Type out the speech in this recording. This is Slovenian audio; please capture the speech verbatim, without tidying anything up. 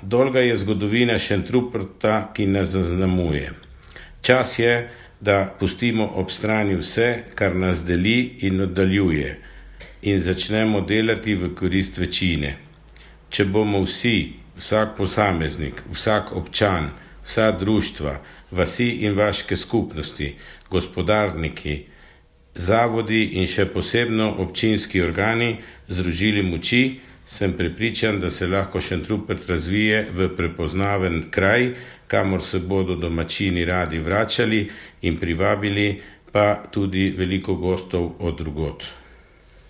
dolga je zgodovina Šentruperta, ki nas zaznamuje. Čas je, da pustimo ob strani vse, kar nas deli in oddaljuje, in začnemo delati v korist večine. Če bomo vsi, vsak posameznik, vsak občan, vsa društva, vasi in vaške skupnosti, gospodarniki, zavodi in še posebno občinski organi združili moči, sem prepričan, da se lahko Šentrupert razvije v prepoznaven kraj, kamor se bodo domačini radi vračali in privabili pa tudi veliko gostov od drugod.